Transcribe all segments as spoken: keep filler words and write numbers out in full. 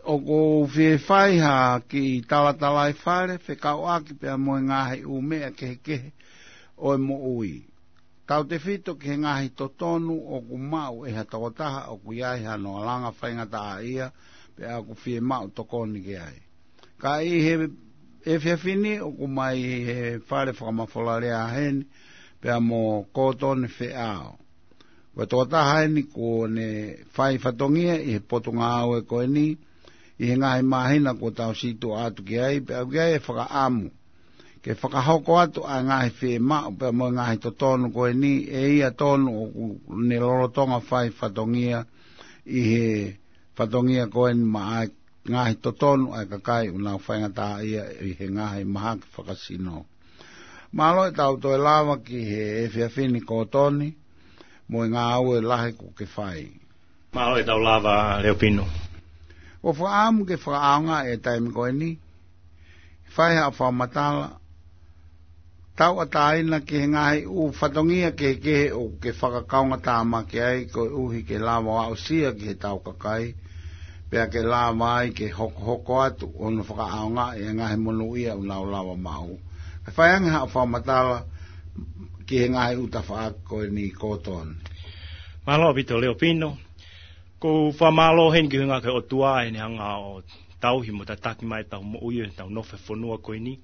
ʻOku ou fie fai ha kiʻi talatalaifale fekauʻaki pea mo e ngaahi ʻū meʻa kehekehe ʻo e moʻui. Tautefito ki he ngaahi totonu ʻoku maʻu ʻe ha tokotaha ʻoku ʻi ai hano alanga faingataʻaʻia pea ʻoku fie maʻu tokoni ki ai. Ka ʻi he efiafi ni ʻoku mai he fale fakamafolalea heni pea mo Kōtoni Feʻao. Ko e tokotaha eni kuo ne fai fatongia ʻi he potungāue ko eni ʻi he ngaahi māhina kuo tau situʻa atu ki ai, pea ʻoku ʻi ai e fakaʻamu ke fakahoko atu ʻa e ngaahi fiemaʻu pea mo e ngaahi totonu ko eni ʻe ia tonu ʻoku ne lolotonga fai fatongia ʻi he fatongia ko eni maʻa e ngaahi totonu ʻa e kakai ʻoku nau faingataʻaʻia ʻi he ngaahi mahaki fakasino. Mālō e tau toe lava ki he efiafi ni Kōtoni, mo e ngāue lahi kuo ke fai. Mālō e tau lava Leopino. ʻOku ou fakaʻamu ke fakaʻaongaʻi e taimi ko eni, fai haʻo fakamatala, tauʻatāina ki he ngaahi ʻū fatongia kehekehe ʻoku ke fakakaungātāmaki ai koeʻuhi ke lava ʻo aʻusia ki he tau kakai, pea ke lava ai ke hokohoko atu ʻo ne fakaʻaongaʻi e ngaahi monūʻia ʻoku nau lava maʻu. Kae fai ange haʻo fakamatala ki he ngaahi ʻū tafaʻaki ko eni Kōtoni. Mālō ʻaupito Leopino. ʻOku ou fakamālō heni ki he ʻuhinga ko e ʻOtua ʻene hanga ʻo tauhi mo tataki mai ʻetau moʻui ʻi heʻetau nofo he fonua ko eni.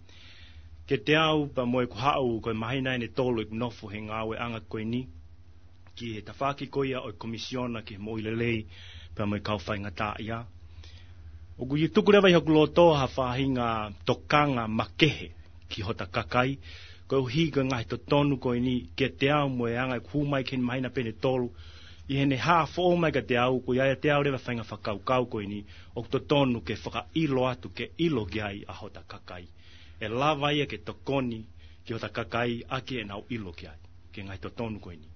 Kiate au pea mo ʻeku haʻu ko e māhina ʻe tolu ʻeku nofo he ngāueʻanga ko eni ki he tafaʻaki ko ia ʻo e Komisiona ki he Moʻui Lelei pea mo e Kau Faingataʻaʻia. ʻOku ou tuku leva ʻi hoku loto ha faʻahinga tokanga makehe ki hota kakai, koeʻuhi ko e ngaahi totonu ko eni kiate au mo e anga ʻeku hū mai ki he māhina pē ʻe tolu, ʻi heʻene hā foʻou mai kiate au, ʻoku ʻiate au leva e faʻahinga fakakaukau ko eni, ʻoku totonu ke fakaʻilo atu, ke ʻilo ki ai ʻa hota kakai. ʻE lava ia ke tokoni ki hota kakai ʻaki ʻenau ʻilo ki ai, ki he ngaahi totonu ko eni.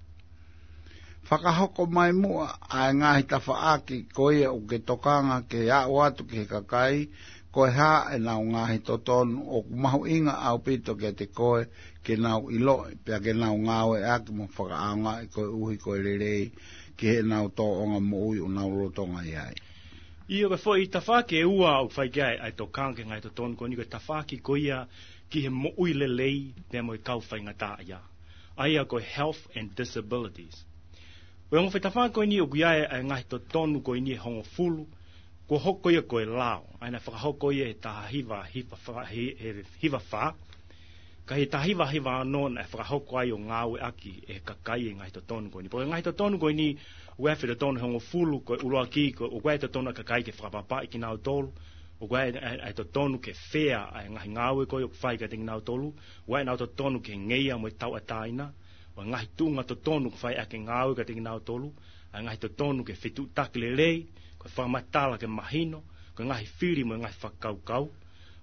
Fakahoko mai muʻa ʻa e ngaahi tafaʻaki ko ia ʻoku ke tokanga ke aʻu atu ki he kakai, ko e hā ʻenau ngaahi totonu ʻoku mahuʻinga ʻaupito kiate koe ke nau ʻiloʻi, pea ke nau ngāueʻaki mo fakaʻaongaʻi koeʻuhi ko e lelei ki heʻenau tōʻonga moʻui ʻoku nau lolotonga ʻi ai. ʻIo, ko e foʻi tafaʻaki ʻe ua ʻoku fai ki ai ʻa e tokanga ki he ngaahi totonu ko eni, ko e tafaʻaki ko ia ki he moʻui lelei pea mo e kau faingataʻaʻia. ʻA ia ko e health and disabilities. Ko e ongo foʻi tafaʻaki ko eni ʻoku ʻi ai ʻa e ngaahi totonu ko eni ʻe hongofulu, kuo hoko ia ko e lao, ʻa ia naʻe fakahoko ia he taha hiva, hiva fā, he, he hiva fā. Ka ʻi he taha hiva hiva ono naʻe fakahoko ai ʻo ngāueʻaki ʻe he kakai e ngaahi totonu ko eni. Pea ko e ngaahi totonu ko eni, ʻoku ʻi ai e foʻi totonu ʻe hongofulu, ko e ʻuluaki, ko e, ʻoku ʻi ai e totonu ʻa e kakai ke fakapapaʻi kinautolu, ʻoku ʻi ai e, e, e totonu ke fair ʻa e ngaahi ngāue ko ia ʻoku fai kiate kinautolu, ʻoku ʻi ai ʻenau totonu ke ngeia mo e tauʻatāina, ʻo e ngaahi tuʻunga totonu ʻoku fai ʻaki e ngāue kiate kinautolu, ʻa e ngaahi totonu ke fetuʻutaki lelei, ko e fakamatala ke mahino, ko e ngaahi fili mo e ngaahi fakakaukau,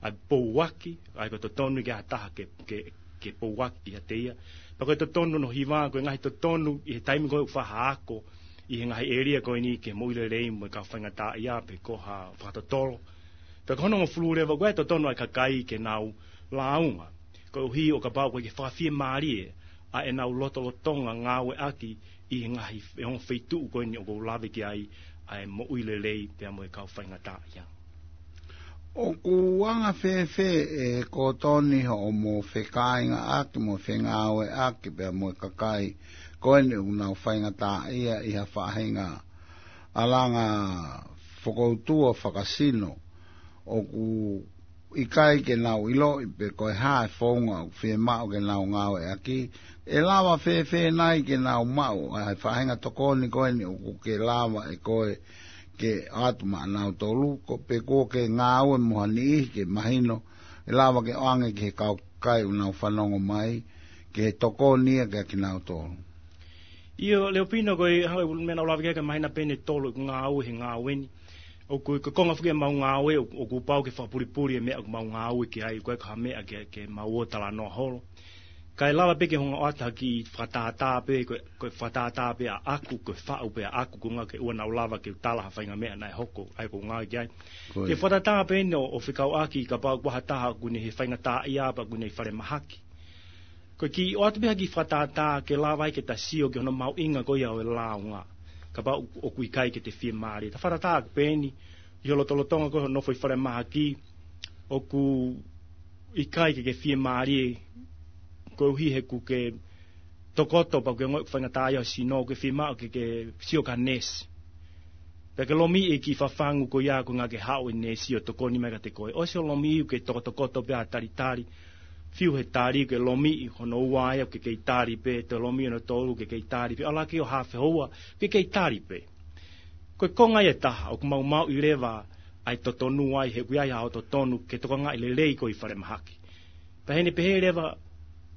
ʻa e pouaki, ʻa ia ko e totonu ke ʻi ai ha taha ke, ke, ke pouaki kiate ia. Pea ko e totonu hono hiva, ko e ngaahi totonu ʻi he taimi ko ē ʻoku fai ha ako ʻi he ngaahi ʻēlia ko eni ki he moʻui lelei mo e kau faingataʻaʻia pe ko ha fakatotolo. Pea ko hono hongofulu leva, ko e totonu ʻa e kakai ke nau lāunga, koeʻuhi ʻo kapau ʻoku ʻikai ke fakafiemālie ʻa ʻenau lotolotonga ngāueʻaki ʻi he ngaahi, ʻi he ongo feituʻu ko eni ʻoku ou lave ki ai, ʻa e moʻui lelei pea mo e kau faingataʻaʻia. ʻOku anga fēfē ʻe Kōtoni hoʻomo fekāingaʻaki mo fengāueʻaki pea mo e kakai ko eni ʻoku nau faingataʻaʻia ʻi ha faʻahinga alanga fokoutua fakasino, ʻoku ʻikai ke nau ʻiloʻi pe ko e hā e founga ʻoku fiemaʻu ke nau ngāueʻaki? ʻE lava fēfē nai ke nau maʻu ʻa e faʻahinga tokoni ko eni ʻoku ke lava ʻe koe ke ʻoatu maʻanautolu, ko pe kuo ke ngāue mo ha niʻihi ke mahino, ʻe lava ke ʻoange ki he kau kakai ʻoku nau fanongo mai, ke tokoni ia kiate kinautolu? ʻIo, Leopino, ko e hanga ʻe ʻulu mena ʻo lave ki ai ka māhina pē ʻe tolu ʻeku ngāue he ngāue ni. ʻOku, ko e konga foki ʻemau ngāue, ʻoku, ʻoku pau ke fakapulipuli e meʻa ʻoku mau ngāue ki ai, ʻoku ʻikai ko ha meʻa ke, ke mau ō talanoa holo. Kae lava pē ke u hanga ʻo ʻoatu ha kiʻi fakatātā pē, ko e, ko e fakatātā pē ʻaʻaku, ko e faʻu pē ʻaʻaku, ko e ʻuhinga ke ʻoua naʻa lava ke u tala ha faʻahinga meʻa naʻe hoko, ʻa ia ʻoku ou ngāue ki ai. Ko ia. Ke fakatātā pē eni ʻo, ʻo fekauʻaki kapau ko ha taha ʻoku ne ʻi he faingataʻaʻia pe ʻoku ne ʻi falemahaki. Ko e kiʻi ʻoatu pē ha kiʻi fakatātā ke lava ai ke ta sio ki hono mahuʻinga ko ia ʻo e lāunga. Kapau ʻoku ʻikai ke te fiemālie. Ta fakatātā pē eni, ʻi ho lotolotonga ko ē hoʻo nofo ʻi falemahaki, ʻoku ʻikai ke ke fiemālie, koeʻuhi he ʻoku ke tokoto pea ʻoku ke ongoʻi ʻoku faingataʻaʻia ho sino, ʻoku ke fiemaʻu ke ke sio ki ha neesi. Pea ke lomiʻi e kiʻi fafangu ko ia ko ē ʻoku ke haʻu e neesi ʻo tokoni mai kiate koe. ʻOsi hoʻo lomiʻi, ʻoku ke tokotokoto pē ʻo talitali, fiu he tali, ʻoku ke lomiʻi hono ua ia, ʻoku ke kei tali pē, toe lomiʻi hono tolu, ʻoku ke kei tali pē, ʻalu hake ʻo haafe houa, ʻoku ke kei tali pē. Ko e konga ia ʻe taha, ʻoku maumau ʻi leva ʻa e totonu ai, he ʻoku ʻi ai haʻo totonu ke tokangaʻi lelei koe ʻi falemahaki. Pea ʻi heʻene pehē leva,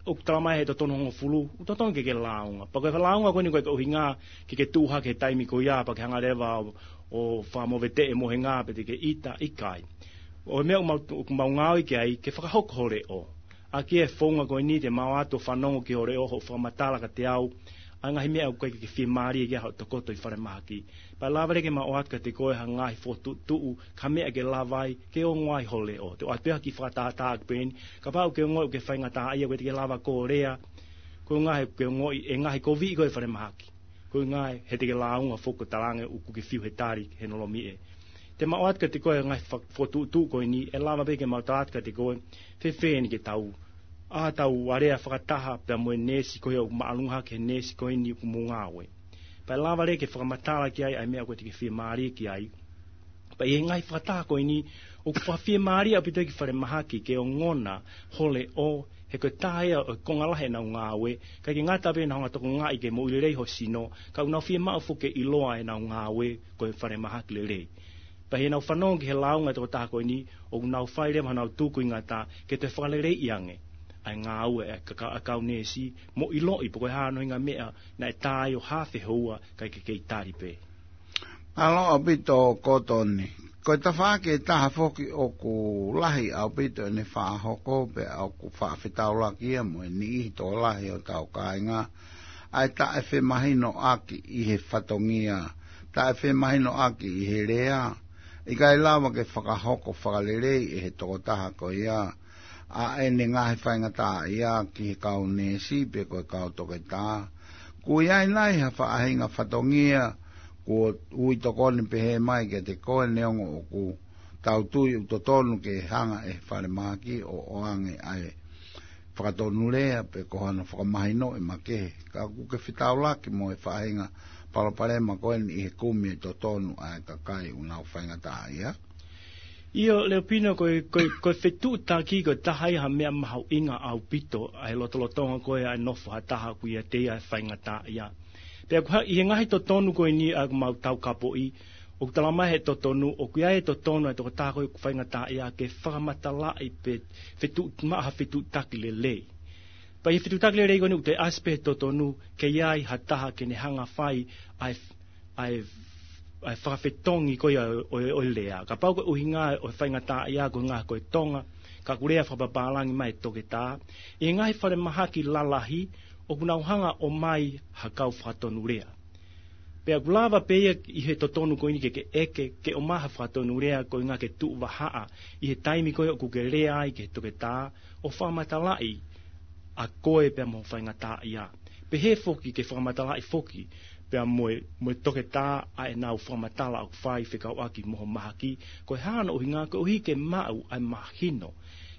ʻoku talamai he totonu hongofulu, ʻoku totonu ke ke lāunga. Pea ko e lāunga ko eni ʻoku ʻikai ke ʻuhinga ke ke tuʻu hake he taimi ko ia, pea ke hanga leva ʻo, ʻo fakamoveteʻi e mohenga pea te ke ʻita, ʻikai. ʻO e meʻa ʻoku mau, ʻoku mau ngāue ki ai, ke fakahoko ho leʻo. ʻA ia ko e founga ko eni te mau ō atu ʻo fanongo ki ho leʻo, hoʻo fakamatala kiate au ʻa e ngaahi meʻa ʻoku ʻikai ke ke fiemālie ki ai hoʻo tokoto ʻi falemahaki. Pea lava leva ke mau ʻoatu kiate koe ha ngaahi fokotuʻutuʻu, ha meʻa ke lava ai ke ongo ai ho leʻo. Te u ʻoatu pē ha kiʻi fakatātā ʻaki pē eni, kapau ʻoku ke ongoʻi ʻoku ke faingataʻaʻia, ʻoku ʻikai te ke lava ʻo lea, ko e ʻuhinga he ʻoku ke ongoʻi e ngaahi koviʻi ko ē ʻi falemahaki. Ko e ʻuhinga he te ke lāunga foki, ʻoku talaange ʻoku ke fiu he tali, he hono lomiʻi. Te mau ʻoatu kiate koe e ngaahi fa-, fokotuʻutuʻu ko eni, ʻe lava pē ke mau tala atu kiate koe, fēfē eni ke tau, ʻa, tau alea fakataha pea mo e neesi ko ia ʻoku māʻolunga hake he neesi ko eni ʻoku mou ngāue. Pea lava leva ke fakamatala ki ai ʻa e meʻa ʻoku ʻikai te ke fiemālie ki ai. Pea ʻi he ngaahi fakataha ko eni, ʻoku fakafiemālie ʻaupito ki falemahaki ke ongona ho leʻo, he ko e taha ia ʻo e konga lahi ʻenau ngāue, ʻikai ke ngata pē ʻenau hanga ʻo tokangaʻi ke moʻui lelei ho sino, ka ʻoku nau fiemaʻu foki ke ʻiloa ʻenau ngāue ko e falemahaki lelei. Pea ʻi heʻenau fanongo ki he lāunga ʻa e tokotaha ko eni, ʻoku nau fai leva honau tūkuingata ke toe fakaleleiʻi ange ʻa e ngāue ʻa e ka-, ka-, ʻa e kau neesi, mo ʻiloʻi pe ko e hā hono ʻuhinga e meʻa naʻe tā ai ʻo haafe houa kae kei tali pē. Mālō ʻaupito Kotoni. Ko e tafaʻaki ʻe taha foki ʻoku lahi ʻaupito ʻene fakahoko pea ʻoku faʻa fetaulaki ia mo e niʻihi tokolahi ʻo hotau kāinga, ʻa e taʻefemahinoʻaki ʻi he fatongia, taʻefemahinoʻaki ʻi he lea, ʻikai lava ke fakahoko fakalelei ʻe he tokotaha ko ia ʻa ʻene ngaahi faingataʻaʻia ki he kau neesi pe ko e kau toketā. Kuo ʻi ai nai ha faʻahinga fatongia kuo ui tokoni pehē mai kiate koe neongo ʻoku tau tui ʻoku totonu ke hanga ʻe he falemahaki ʻo ʻoange ʻa e fakatonulea pe ko hano fakamahinoʻi makehe? Ka ʻoku ke fetaulaki mo e faʻahinga palopalema ko eni ʻi he kumi e totonu ʻa e kakai ʻoku nau faingataʻaʻia? ʻIo, Leopino, ko e, ko e, ko e fetuʻutaki ko e taha ia ha meʻa mahuʻinga ʻaupito ʻa e lotolotonga ko ē ʻa e nofo ha taha ʻoku ʻiate ia e faingataʻaʻia. Pea ʻoku ʻi ai, ʻi he ngaahi totonu ko eni ʻoku mau taukapoʻi, ʻoku talamai he totonu, ʻoku ʻi ai e totonu ʻa e tokotaha ko ē ʻoku faingataʻaʻia ke fakamatalaʻi pe fetuʻu-, maʻu ha fetuʻutaki lelei. Pea ʻi he fetuʻutaki lelei ko eni ʻoku toe ʻasi pē he totonu, ke ʻi ai ha taha ke ne hanga ʻo fai ʻa e, ʻa e, ʻa e fakafetongi ko ia ʻo, ʻo, ʻo e lea. Kapau ko e ʻuhinga ʻo e faingataʻaʻia ko e ʻuhinga ko e tonga, ka ʻoku lea fakapapālangi mai e toketā, ʻi he ngaahi falemahaki lalahi, ʻoku nau hanga ʻo ʻomai ha kau fakatonulea. Pea ʻoku lava pē ia ʻi he totonu ko eni ke ke ʻeke, ke ʻomai ha fakatonulea ko e ʻuhinga ke tuʻu vahaʻa ʻi he taimi ko ē ʻoku ke lea ai ki he toketā, ʻo fakamatalaʻi ʻa koe pea mo e faingataʻaʻia. Pehē foki ke fakamatalaʻi foki pea mo e, mo e toketā ʻa ʻenau fakamatala ʻoku fai fekauʻaki mo ho mahaki, ko e hā hono ʻuhinga, koeʻuhi ke maʻu ʻa e mahino.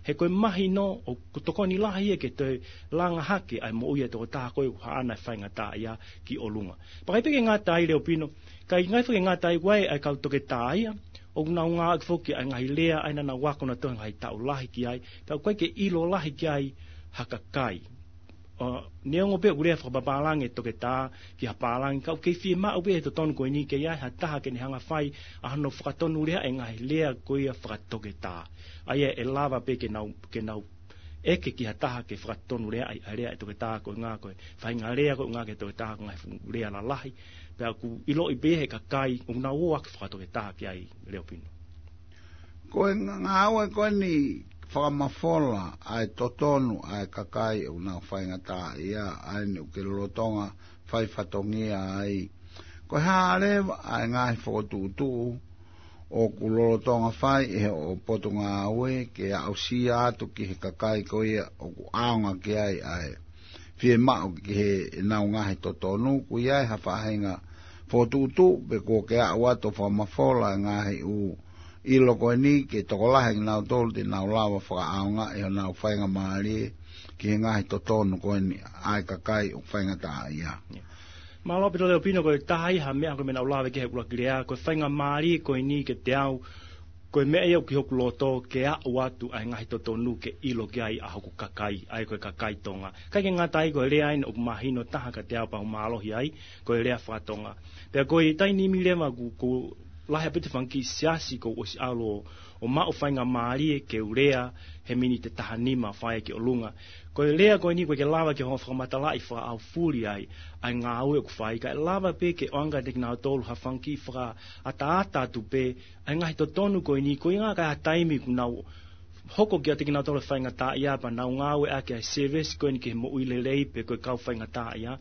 He ko e mahino ʻoku tokoni lahi ia ke toe langa hake ʻa e moʻui ʻa e tokotaha ko ē ʻoku haʻana e faingataʻaʻia ki ʻolunga. Pea ʻikai pē ke ngata ai, Leopino, ka ʻikai foki ke ngata ai, ʻoku ʻi ai ʻa e kau toketā ia ʻoku nau ngāueʻaki foki ʻa e ngaahi lea ʻa ia naʻa nau ako nautolu he ngaahi taʻu lahi ki ai, pea ʻoku ʻikai ke ʻilo lahi ki ai ha kakai. ʻO, neongo pē ʻoku lea fakapapālangi e toketā ki ha pālangi, ka ʻoku kei fiemaʻu pē he totonu ko eni ke ʻi ai ha taha ke ne hanga ʻo fai ʻa hono fakatonuleaʻi e ngaahi lea ko ia fakatoketā. ʻA ia ʻe lava pē ke nau, ke nau ʻeke ki ha taha ke fakatonuleaʻi ʻa e lea ʻa e toketā ko e ʻuhinga ko e faʻahinga lea ko e ʻuhinga ki he toketā ko e ngaahi fuʻu lea lalahi. Pea ʻoku ʻiloʻi pē he kakai ʻoku nau ō ʻaki fakatoketā ki ai, Leopino. Ko e ngā-, ngāue ko eni fakamafola ʻa e totonu ʻa e kakai ʻoku nau faingataʻaʻia, ʻa eni ʻoku ke lolotonga fai fatongia ai. Ko e hā leva ʻa e ngaahi fokotuʻutuʻu ʻoku lolotonga fai ʻe hoʻo potungāue ke aʻusia atu ki he kakai ko ia ʻoku ʻaonga ki ai ʻa e fiemaʻu ki heʻenau ngaahi totonu? ʻOku ʻi ai ha faʻahinga fokotuʻutuʻu pe kuo ke aʻu atu ʻo fakamafola e ngaahi ʻū ʻilo ko eni ke tokolahi kinautolu te nau lava fakaʻaongaʻi honau faingamālie ki he ngaahi totonu ko eni ʻa e kakai ʻoku faingataʻaʻia. Mālō ʻaupito Leopino, ko e taha ia ha meʻa ko e meʻa naʻa ku lave ki ai he ʻuluaki lea, ko e faingamālie ko eni kiate au, ko e meʻa ia ʻoku ʻi hoku loto ke aʻu atu ʻa e ngaahi totonu ke ʻilo ki ai ʻa hoku kakai, ʻa ia ko e kakai Tonga. ʻIkai ke ngata ai, ko e lea eni ʻoku mahino taha kiate au pea u mālohi ai, ko e lea faka-Tonga. Pea ko e taimi ni leva ʻoku, ʻoku lahi ʻaupito e fanga kiʻi siasi kuo u ʻosi ʻalu ʻo maʻu faingamālie ke u lea he miniti ʻe taha nima fai ki ʻolunga. Ko e lea ko eni ʻoku ʻikai ke lava ke u hanga ʻo fakamatalaʻi fakaʻaufuli ai ʻa e ngāue ʻoku fai, kae lava pē ke ʻoange kiate kinautolu ha fanga kiʻi fakaʻataʻata atu pē ʻa e ngaahi totonu ko eni, ko e ʻuhinga ko e taimi ʻoku nau hoko kiate kinautolu e faingataʻaʻia pea nau ngāueʻaki ʻa e service ko eni ki he moʻui lelei pe ko e kau faingataʻaʻia,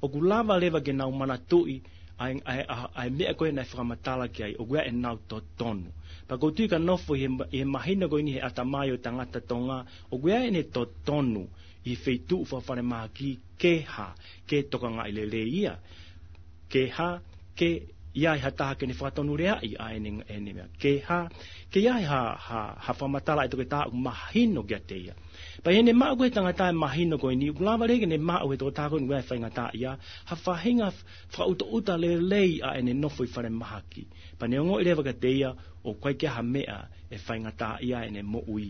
ʻoku lava leva ke nau manatuʻi ʻa e, ʻa e, ʻa e, ʻa e meʻa ko ē naʻe fakamatala ki ai, ʻoku ʻi ai ʻenau totonu. Pea ʻoku ou tui ka nofo ʻi he, ʻi he mahino ko eni he ʻatamai ʻo e tangata Tonga, ʻoku ʻi ai ʻene totonu ʻi he feituʻu fakafalemahaki, ke hā, ke tokangaʻi lelei ia, ke hā, ke ʻi ai ha taha ke ne fakatonuleaʻi ʻa ʻene, ʻene meʻa, ke hā, ke ʻi ai ha, ha, ha fakamatala ʻa e toketā ʻoku mahino kiate ia. Pea ʻi heʻene maʻu ko ē he tangata e mahino ko eni, ʻoku lava leva ke ne maʻu he toketā ko eni ʻoku ʻi ai e faingataʻaʻia ha faʻahinga fakaʻutaʻuta lelei ʻa ʻene nofo ʻi falemahaki. Pea ne ongoʻi leva kiate ia ʻoku ʻikai ke ʻi ai ha meʻa ʻe faingataʻaʻia ai ʻene moʻui.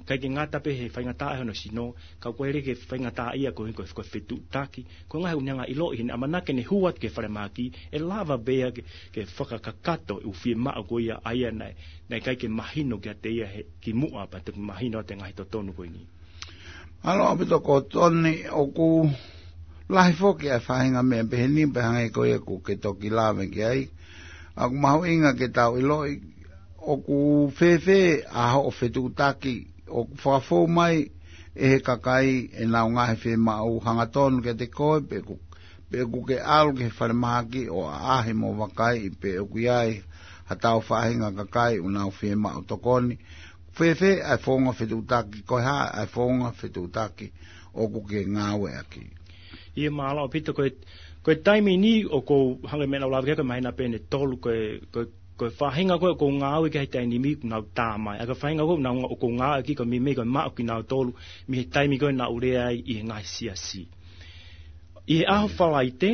ʻIkai ke ngata pē he faingataʻaʻia hono sino, ka ʻoku ʻikai leva ke faingataʻaʻia koeʻuhi ko e, ko e fetuʻutaki, ko e ngaahi ʻuhinga ʻiloʻi heʻene ʻamanaki ke ne hū atu ki he falemahaki, ʻe lava pē ia ke, ke fakakakato e ʻū fiemaʻu ko ia ʻa ia naʻe, naʻe ʻikai ke mahino kiate ia he kimuʻa pea toki mahino atu e ngaahi totonu ko eni. Mālō ʻaupito Kotoni, ʻoku lahi foki ʻa e faʻahinga meʻa pehē ni pea hangē ko ia ʻoku ke toki lave ki ai. ʻOku mahuʻinga ke tau ʻiloʻi ʻoku fēfē ʻa hoʻo fetuʻutaki, ʻoku fakafou mai ʻe he kakai ʻenau ngaahi fiemaʻu hangatonu kiate koe, pe ʻoku, pe ʻoku ke ʻalu ki he falemahaki ʻo ʻaʻahi mo vakaiʻi pe ʻoku ʻi ai ha tau faʻahinga kakai ʻoku nau fiemaʻu tokoni. Fēfē ʻa e founga fetuʻutaki, ko e hā ʻa e founga fetuʻutaki ʻoku ke ngāueʻaki? ʻIo, mālō ʻaupito, ko e, ko e taimi ni ʻoku ou, hangē ko e meʻa naʻa ku lave ki ai, ko e māhina pē ʻe tolu, ko e, ko e, ko e faʻahinga ko ē ʻoku ou ngāue ki ai he taimi ni ʻoku nau tā mai. ʻA ia ko e faʻahinga ko ē ʻoku nau, ʻoku ou ngāueʻaki ko e meimei ko e maʻu kinautolu mei he taimi ko ē naʻa ku lea ai ʻi he ngaahi siasi. ʻI he ʻaho Falaite,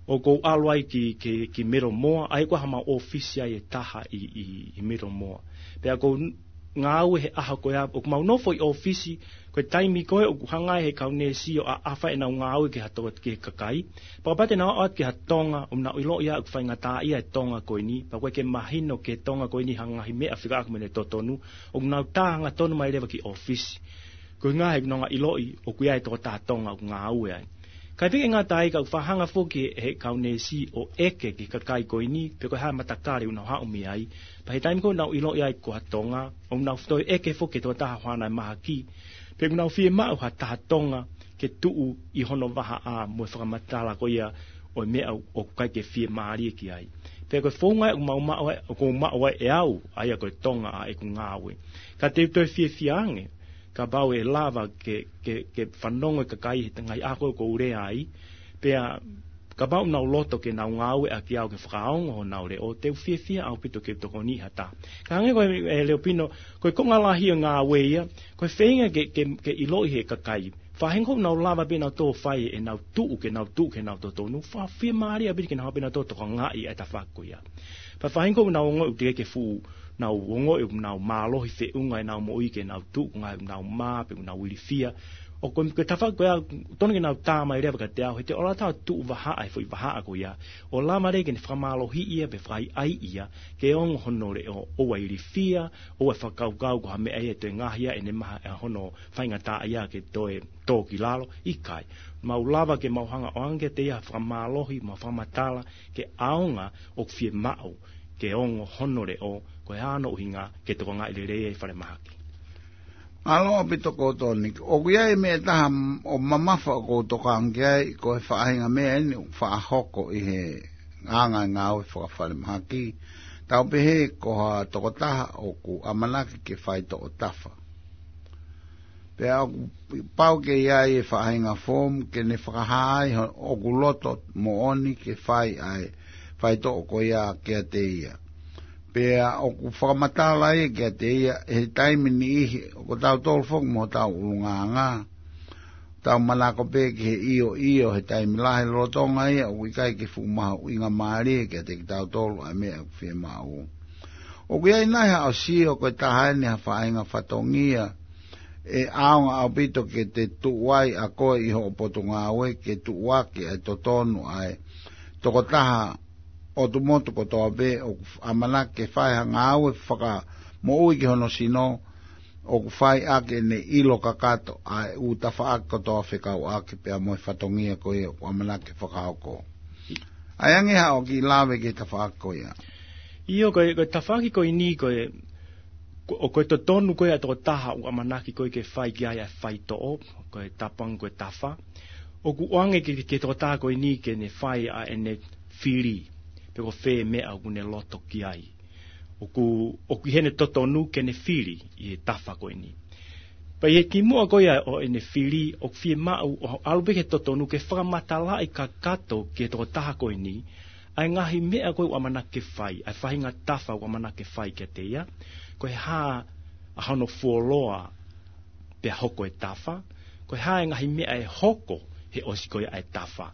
ʻoku ou ʻalu ai ki, ki, ki Middlemore, ʻa ia ko e hā, mau ʻōfisi ai ʻe taha ʻi, ʻi, ʻi Middlemore. Pea ʻoku ou ngāue he ʻaho ko ia, ʻoku mau nofo ʻi ʻōfisi, ko e taimi ko ē ʻoku hanga ai he kau neesi ʻo ʻaʻahi ʻenau ngāue ki ha toko, ki he kakai. Pea kapau te nau ō atu ki ha Tonga, ʻoku nau ʻiloʻi ʻoku faingataʻaʻia e Tonga ko eni, pea ʻoku ʻikai ke mahino ki he Tonga ko eni ha ngaahi meʻa fekauʻaki mo ʻene totonu, ʻoku nau tā hangatonu mai leva ki ʻōfisi. Ko e ʻuhinga he ʻoku nau ʻiloʻi ʻoku ʻi ai e tokotaha Tonga ʻoku ngāue ai. Kae ʻikai ke ngata ai, ka ʻoku fakahanga foki ʻe he kau neesi ʻo ʻeke ki he kakai ko eni pe ko e hā e matakali ʻoku nau haʻu mei ai. Pea he taimi ko ē ʻoku nau ʻiloʻi ai ko ha Tonga, ʻoku nau toe ʻeke foki ki he tokotaha ʻoku ʻi ai ʻene mahaki pe ʻoku nau fiemaʻu ha taha Tonga ke tuʻu ʻi hono vahaʻa mo e fakamatala ko ia ʻo e meʻa ʻoku ʻikai ke fiemālie ki ai. Pea ko e founga ia ʻoku mau maʻu ai, ʻoku ou maʻu ai ʻe au, ʻa ia ko e Tonga ʻa ʻeku ngāue. Ka te u toe fiefia ange kapau ʻe lava ke, ke, ke fanongo e kakai he ngaahi ʻaho ko ē ʻoku ou lea ai, pea kapau ʻoku nau loto ke nau ngāueʻaki au ke fakaongo honau leʻo, te u fiefia ʻaupito ke tokoniʻi ha taha. Ka hangē ko e, ʻe Leopino, ko e konga lahi ʻo e ngāue ia, ko e feinga ke, ke, ke ʻiloʻi he kakai. Faʻahinga ʻoku nau lava pē ʻenautolu ʻo fai ʻenau tuʻu, ke nau tuʻu, ke nau totonu, fakafiemālie ʻaupito ke nau hanga pē ʻenautolu ʻo tokangaʻi ʻa e tafaʻaki ko ia. Pea faʻahinga ʻoku nau ongoʻi ʻoku teʻeki ke fuʻu nau ongoʻi ʻoku nau mālohi feʻunga ʻenau moʻui ke nau tuʻu, ko e ngaahi ʻoku nau mā, pe ʻoku nau ilifia. ʻOku, ko e tafaʻaki ko ia, totonu ke nau tā mai leva kiate au, he te u ʻalu atu ʻo tuʻu vahaʻa he foʻi vahaʻa ko ia, ʻo lava leva ke ne fakamālohiʻi ia, pe fakaʻaiʻai ia, ke ongo hono leʻo, ʻoua ʻe ilifia, ʻoua ʻe fakakaukau ko ha meʻa ia ʻe toe ngaohi ia ʻe he maha ʻa hono faingataʻaʻia ke toe tō ki lalo, ʻikai. Mau lava ke mau hanga ʻo ʻoange kiate ia ha fakamālohi mo ha fakamatala ke ʻaonga ʻoku fiemaʻu ke ongo hono leʻo, ko e hā hono ʻuhinga, ke tokangaʻi lelei ai e falemahaki. Mālō ʻaupito Kotoni. ʻOku ʻi ai e meʻa ʻe taha m-, ʻoku mamafa ʻoku ou tokanga ki ai, ko e faʻahinga meʻa eni ʻoku faʻa hoko ʻi he anga e ngāue fakafalemahaki. Tau pehē ko ha tokotaha ʻoku ʻamanaki ke faitoʻo tafa. Pea ʻoku pau ke ʻi ai e faʻahinga foomu ke ne fakahā ai ho-, ʻoku loto moʻoni ke fai ʻa e faitoʻo ko ia kiate ia. Pea ʻoku fakamatala ia kiate ia he taimi niʻihi, ʻoku tautolu foki mo hotau ʻulungaanga. Tau manako pē ki he ʻio ʻio he taimi lahi, lolotonga ia ʻoku ʻikai ke fuʻu mahuʻinga mālie kiate kitautolu ʻa e meʻa ʻoku fiemaʻu. ʻOku ʻi ai nai haʻo sio ko e taha eni ha faʻahinga fatongia ʻe ʻaonga ʻaupito ke te tuʻu ai ʻa koe ʻi hoʻo potungāue ke tuʻuaki ʻa e totonu ʻa e tokotaha ʻotu motu kotoa pē ʻoku ʻamanaki ke fai ha ngāue fakamoʻui ki hono sino, ʻoku fai ʻaki ʻene ʻilo kakato ʻa e ʻū tafaʻaki kotoa fekauʻaki pea mo e fatongia ko ia ʻoku ʻamanaki ke fakahoko. ʻA e ange haʻo kiʻi lave ki he tafaʻaki ko ia. ʻIo, ko e, ko e tafaʻaki ko eni ko e, ko, ʻo ko e totonu ko ia ʻa e tokotaha ʻoku ʻamanaki ko ē ke fai ki ai ʻa e faitoʻo, ko e tapu ange ko e tafa. ʻOku ʻoange ki, ki he tokotaha ko eni ke ne fai ʻa ʻene fili, pe ko fē meʻa ʻoku ne loto ki ai. ʻOku, ʻoku ʻi heʻene totonu ke ne fili ʻi he tafa ko eni. Pea ʻi he kimuʻa ko ia ʻo ʻene fili, ʻoku fiemaʻu ʻo ʻalu pē ki he totonu ke fakamatalaʻi kakato ki he tokotaha ko eni ʻa e ngaahi meʻa ko ē ʻoku ʻamanaki ke fai, ʻa e faʻahinga tafa ʻoku ʻamanaki ke fai kiate ia, ko e hā ʻa hono fuoloa pea hoko e tafa, ko e hā e ngaahi meʻa ʻe hoko he ʻosi ko ia ʻa e tafa.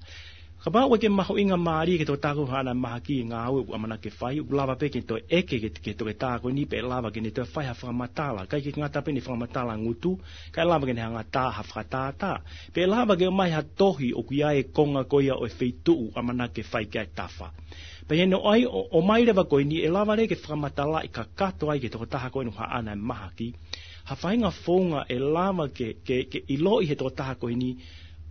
Kapau ʻoku ʻikai ke mahuʻinga mālie ki he tokotaha ko ē haʻana mahaki e ngāue ʻoku ʻamanaki ke fai, ʻoku lava pē ke toe ʻeke ki he, ki he toketā ko eni pe ʻe lava ke ne toe fai ha fakamatala. ʻIkai ke ngata pē ʻene fakamatala ngutu, kae lava ke ne hanga ʻo tā ha fakatātā. Pe ʻe lava ke ʻomai ha tohi ʻoku ʻi ai e konga ko ia ʻo e feituʻu ʻamanaki ke fai ki ai e tafa. Pea ʻi heʻene ʻai ʻo, ʻomai leva ko eni ʻe lava leva ke fakamatalaʻi kakato ai ki he tokotaha ko ē ʻoku haʻana e mahaki ha faʻahinga founga ʻe lava ke, ke, ke ʻiloʻi he tokotaha ko eni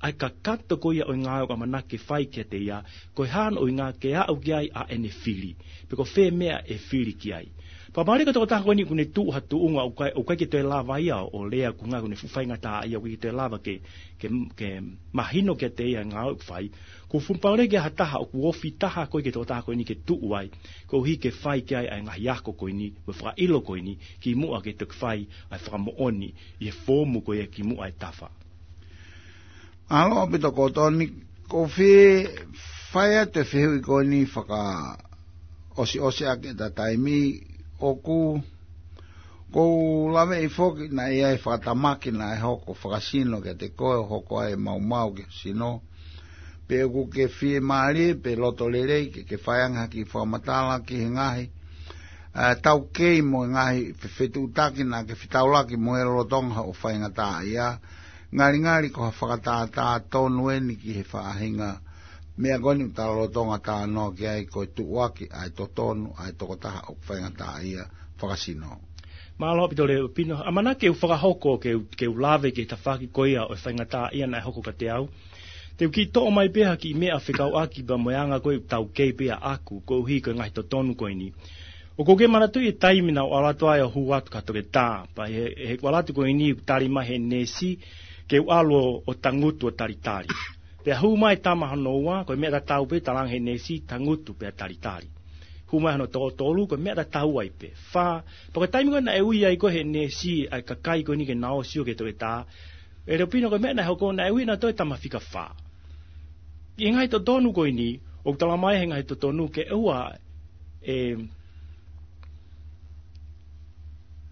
ʻa e kakato ko ia ʻo e ngāue ʻoku ʻamanaki ke fai kiate ia, ko e hā hono ʻuhinga ke aʻu ki ai ʻa ʻene fili, pe ko fē meʻa ʻe fili ki ai. Pea mahalo ko e tokotaha ko eni ʻoku ne tuʻu ha tuʻunga ʻoku ʻikai, ʻoku ʻikai ke toe lava ia ʻo lea, ko e ʻuhinga ʻoku ne fuʻu faingataʻaʻia, ʻoku ʻikai ke toe lava ke, ke, ke mahino kiate ia e ngāue ʻoku fai. ʻOku fuʻu pau leva ke ʻi ai ha taha ʻoku ofi taha ko ē ki he tokotaha ko eni ke tuʻu ai, koeʻuhi ke fai ki ai ʻa e ngaahi ako ko eni, mo e fakaʻilo ko eni, kimuʻa ke toki fai ʻa e fakamoʻoni ʻi he foomu ko ia kimuʻa e tafa. Mālō ʻaupito Kotoni, ʻoku ou fie fai atu e fehuʻi ko eni fakaʻosiʻosi ʻaki ʻeta taimi, ʻoku, ʻoku ou laveʻi foki naʻe ʻi ai e fakatamaki naʻe hoko fakasino kiate koe ʻo hoko ai e maumau ki ho sino. Pe ʻoku ke fiemālie, pe loto lelei, ke ke fai ange ha kiʻi fakamatala ki he ngaahi, ʻa, taukei mo e ngaahi fe-, fetuʻutaki naʻa ke fetaulaki mo ia lolotonga hoʻo faingataʻaʻia. Ngalingali ko ha fakatātā tonu eni ki he faʻahinga meʻa ko eni ʻoku ta lolotonga talanoa ki ai, ko e tuʻuaki ʻa e totonu ʻa e tokotaha ʻoku faingataʻaʻia fakasino. Mālō ʻaupito Leopino. ʻAmanaki ke u fakahoko ke u, ke u lave ki he tafaʻaki ko ia ʻo e faingataʻaʻia naʻe hoko kiate au. Te u kiʻi toʻo mai pē ha kiʻi meʻa fekauʻaki pea mo e anga ko ē ʻoku taukei pē ʻaʻaku, koeʻuhi ko e ngaahi totonu ko eni. ʻOku ou kei manatuʻi e taimi naʻa ku ʻalu atu ai ʻo hū atu ki ha toketā. Pea ʻi he, ʻi heʻeku ʻalu atu ko eni ʻoku tali mai ʻe he neesi ke u ʻalu ʻo, ʻo tangutu ʻo talitali. Pea hū mai e tama hono ua, ko e meʻa tatau pē, talaange ʻe he neesi, tangutu pea talitali. Hū mai hono toko tolu, ko e meʻa tatau ai pē. Fā, pea ko e taimi ko ē naʻe ui ai ko ē ʻe he neesi ʻa e kakai ko eni ke nau ō ʻo sio ki he toketā, ʻe Leopino, ko e meʻa naʻe hoko, naʻe ui ʻe nautolu e tama fika fā. ʻI he ngaahi totonu ko eni, ʻoku talamai ʻe he ngaahi totonu ke ʻoua ʻe,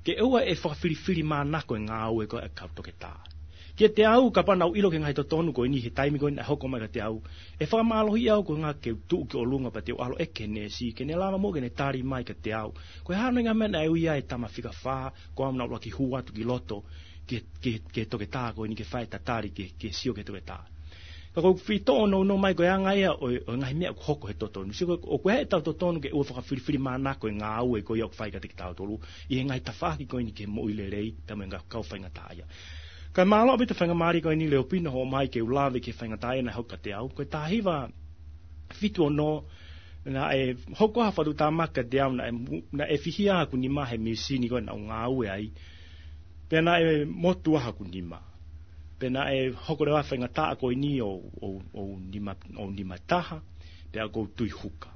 ke ʻoua ʻe fakafilifilimānako e ngāue ko ē ʻa e kau toketā. Kiate au, kapau naʻa ku ʻilo ki he ngaahi totonu ko eni he taimi ko ē naʻe hoko mai kiate au, ʻe fakamālohiʻi au ko e ʻuhinga ke u tuʻu ki ʻolunga pea te u ʻalu ʻo ʻeke ki he neesi, ke ne lava muʻa ke ne tali mai kiate au ko e hā hono ʻuhinga e meʻa naʻe ui ai e tama fika fā, ko au naʻa ku ʻuluaki hū atu ki loto ki, ki, ki he toketā ko eni ke fai e tatali ke, ke sio ki he toketā. Ka ʻoku ou fie toʻo nounou mai ko e anga ia ʻo, ʻo e ngaahi meʻa ʻoku hoko he totonu. Sio, ʻoku ʻikai ke tau totonu ke ʻoua ʻe fakafilifilimānako e ngāue ko ia ʻoku fai kiate kitautolu ʻi he ngaahi tafaʻaki ko eni ki he moʻui lelei pea mo e ngaahi kau faingataʻaʻia. Kae mālō ʻaupito e faingamālie ko eni Leopino hoʻo ʻomai ke u lave ki he faingataʻaʻia naʻe hoko kiate au. Ko e taha hiva fitu ono, naʻe hoko ha fakatuʻutāmaki kiate au, naʻe mu-, naʻe fihia haku nima he misini ko ē naʻa ku ngāue ai. Pea naʻe motuʻa haku nima. Pea naʻe hoko leva e faingataʻa ko eni ʻo, ʻo, ʻo nima, ʻo nima taha, pea ʻoku ou tui huka.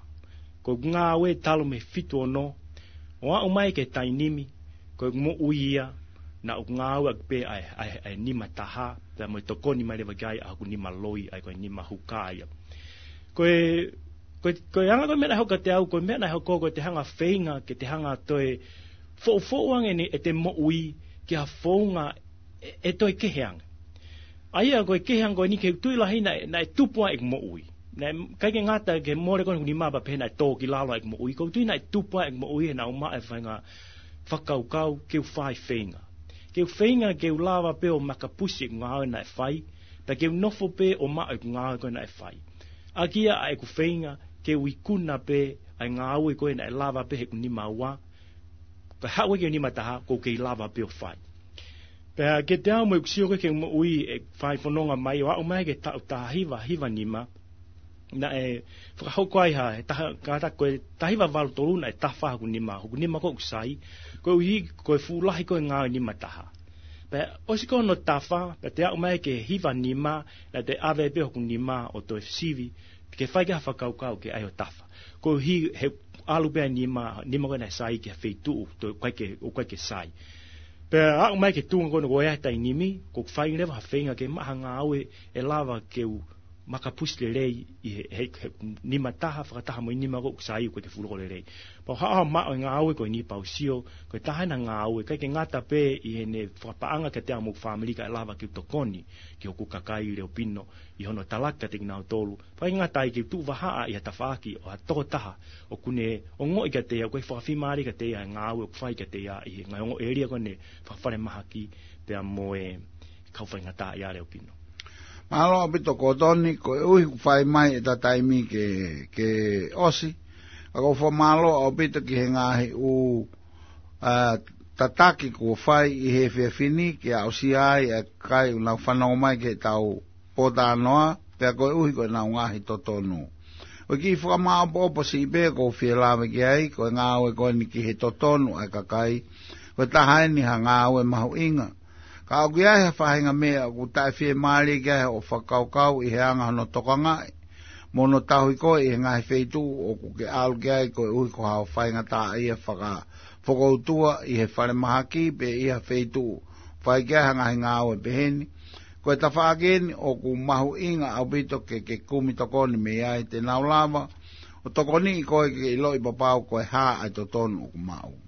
Ko ʻeku ngāue talu mei he fitu ono, ʻo aʻu mai ki he taimi ni, ko ʻeku moʻui ia, naʻa ku ngāueʻaki pē ʻa e, ʻa e, ʻa e nima taha, pea mo e tokoni mai leva ki ai ʻa hoku nima loi, ʻa ia ko e nima huka ia. Ko e, Ko e, ko e anga ko e meʻa naʻe hoko kiate au, ko e meʻa naʻe hoko ko e te hanga feinga, ke te hanga toe foʻufoʻu ange ʻete moʻui ki ha founga ʻe, ʻe toe kehe ange. ʻA ia ko e kehe ange ko eni ke u tui lahi naʻe, naʻe tupu ai ʻeku moʻui. Naʻe ʻikai ke ngata ke mole ko eni hoku nima pea pehē naʻe tō ki lalo ʻeku moʻui. Ko u tui naʻe tupu ai ʻeku moʻui he naʻa ku maʻu e faʻahinga fakakaukau ke u fai feinga. Ke u feinga ke u lava pē ʻo makapusi ʻeku ngāue naʻe fai, pea ke u nofo pē ʻo maʻu ʻeku ngāue ko ē naʻe fai. ʻAki ia ʻa ʻeku feinga ke u ikuna pē ʻa e ngāue ko ē naʻe lava pē heʻeku nima ua, ka haʻu ai ki he nima taha, ʻoku ou kei lava pē ʻo fai. Pea kiate au mo ʻeku sio ko ē ki heʻeku moʻui ʻeku fai fononga mai ʻo aʻu mai ki he taʻu taha hiva, hiva nima, naʻe fakahoko ai ha, he taha, kātaki ko e taha hiva valu tolu naʻe tafa hoku nima, hoku nima ko ē ʻoku sai, koeʻuhi ko e fuʻu lahi ko ē ngāue nima taha. Pea ʻosi ko hono tafa, pea te aʻu mai ki he hiva nima, naʻa te ʻave pē hoku nima ʻo toe sivi, ke fai ki ai ha fakakaukau ke ʻai ʻo tafa. Koeʻuhi he ʻalu pē ʻa e nima, nima ko ē naʻe sai ki ha feituʻu, toe ʻikai ke, ʻoku ʻikai ke sai. Pea aʻu mai ki he tuʻunga ko eni ko e taimi ni, ʻoku ou fai leva ha feinga ke maʻu ha ngāue ʻe lava ke u makapusi lelei ʻi he, he, he nima taha, fakataha mo e nima ko ē ʻoku sai ʻoku ʻikai ke fuʻu loko lelei. Pea u haʻu ʻo maʻu e ngāue ko eni pea u sio, ko e taha ena ngāue, ʻikai ke ngata pē ʻi heʻene fakapaʻanga kiate au mo hoku fāmili kae lava ke u tokoni ki hoku kakai Leopino ʻi hono talaki kiate kinautolu. Pea ʻikai ngata ai ke u tuʻu vahaʻa ʻi ha tafaʻaki ʻo ha tokotaha ʻoku ne ongoʻi kiate ia, ʻoku ʻikai fakafiemālie kiate ia e ngāue ʻoku fai kiate ia ʻi he ngaahi ongo ʻēlia ko eni fakafalemahaki pea mo e kau faingataʻaʻia Leopino. Mālō ʻaupito Kotoni, koeʻuhi kuo fai mai ʻeta taimi ke, ke ʻosi. Ka ʻoku ou fakamālō ʻaupito ki he ngaahi ʻū, ā, tataki kuo fai ʻi he efiafi ni ke aʻusia ai ʻa e kakai ʻoku nau fanongo mai ki heʻetau pōtalanoa, pea koeʻuhi ko ʻenau ngaahi totonu. Ko e kiʻi fakamāʻopoʻopo siʻi pē ʻoku ou fie lave ki ai, ko e ngāue ko eni ki he totonu ʻa e kakai, ko e taha eni ha ngāue mahuʻinga. Ka ʻoku ʻi ai ha faʻahinga meʻa ʻoku taʻefiemālie ki ai hoʻo fakakaukau ʻi he anga hono tokangaʻi mo hono tauhi koe ʻi he ngaahi feituʻu ʻoku ke ʻalu ki ai koeʻuhi ko haʻo faingataʻaʻia fakafokoutua ʻi he falemahaki pe ʻi ha feituʻu fai ki ai ha ngaahi ngāue pehē ni. Ko e tafaʻaki eni ʻoku mahuʻinga ʻaupito ke, ke kumi tokoni mei ai te nau lava ʻo tokoniʻi koe ke ʻiloʻi papau ko e hā ʻa e totonu ʻoku maʻu.